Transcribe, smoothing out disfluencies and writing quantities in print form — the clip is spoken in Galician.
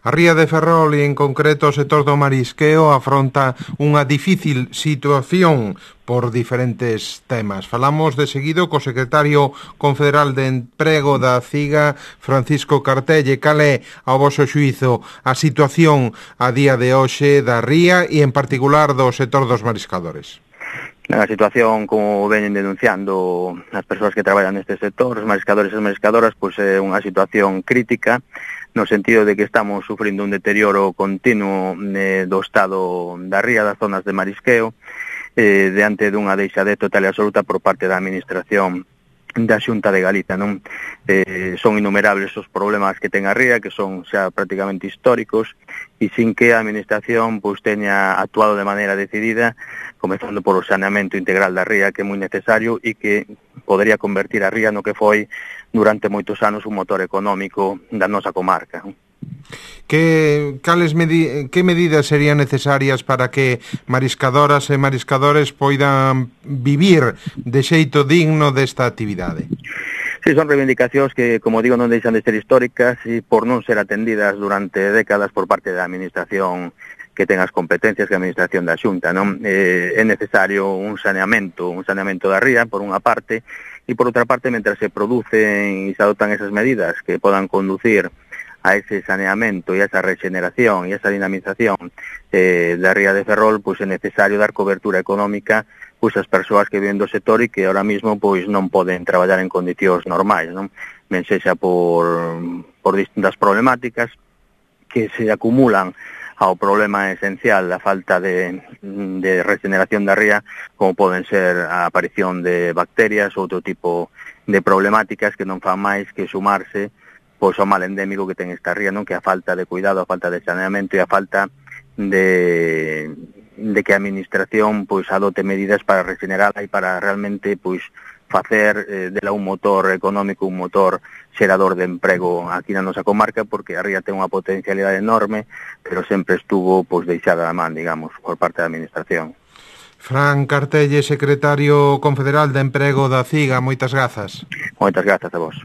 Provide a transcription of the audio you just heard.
A ría de Ferrol e en concreto o sector do marisqueo afronta unha difícil situación por diferentes temas. Falamos de seguido co secretario confederal de Emprego da CIGA, Francisco Cartelle. Cal é, ao voso xuízo, a situación a día de hoxe da ría e en particular do sector dos mariscadores? A situación, como veñen denunciando as persoas que traballan neste sector, os mariscadores e as mariscadoras, pois é unha situación crítica, no sentido de que estamos sufrindo un deterioro continuo do estado da ría, das zonas de marisqueo, diante dunha deixadez total e absoluta por parte da administración da Xunta de Galicia, non? Son innumerables os problemas que ten a ría, que son xa prácticamente históricos, e sin que a administración pois teña actuado de maneira decidida, comezando por o saneamento integral da ría, que é moi necesario e que podería convertir a ría no que foi durante moitos anos un motor económico da nosa comarca. Que medidas serían necesarias para que mariscadoras e mariscadores poidan vivir de xeito digno desta actividade? Sí, son reivindicacións que, como digo, non deixan de ser históricas e por non ser atendidas durante décadas por parte da administración que ten as competencias que a administración da Xunta, non? É necesario un saneamento da ría, por unha parte, e por outra parte, mentre se producen e se adoptan esas medidas que podan conducir a ese saneamento e a esa regeneración e a esa dinamización da ría de Ferrol, pois é necesario dar cobertura económica pois as persoas que viven do sector e que ahora mismo pois non poden traballar en condicións normais, non? Ben sexa por distintas problemáticas que se acumulan ao problema esencial da falta de regeneración da ría, como poden ser a aparición de bacterias ou outro tipo de problemáticas que non fan máis que sumarse pois o mal endémico que ten esta ría, non? Que a falta de cuidado, a falta de saneamento e a falta de que a administración pois adote medidas para regenerarla e para realmente pois facer dela un motor económico, un motor xerador de emprego aquí na nosa comarca, porque a ría ten unha potencialidade enorme, pero sempre estuvo pois deixada da man, digamos, por parte da administración. Fran Cartelle, secretario confederal de Emprego da CIGA, moitas grazas. Moitas grazas a vos.